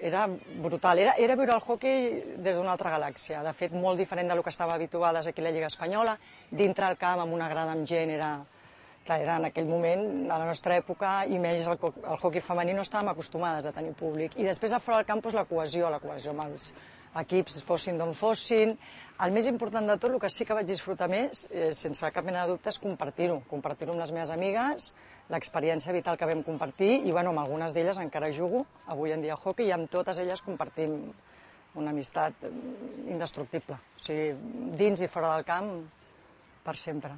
era brutal, era viure el hoquei des d'una altra galàxia, de fet molt diferent del que estava habituades aquí a la Lliga Espanyola, dintre el camp amb una grada amb gent era en aquell moment, a la nostra època, i més el hoquei femení no estàvem acostumades a tenir públic. I després a fora del camp la cohesió amb els equips, fossin d'on fossin. El més important de tot, el que sí que vaig disfrutar més, sense cap mena de dubte, és compartir-ho amb les meves amigues, l'experiència vital que vam compartir, i amb algunes d'elles encara jugo avui en dia a hoquei, i amb totes elles compartim una amistat indestructible. O sigui, dins i fora del camp, per sempre.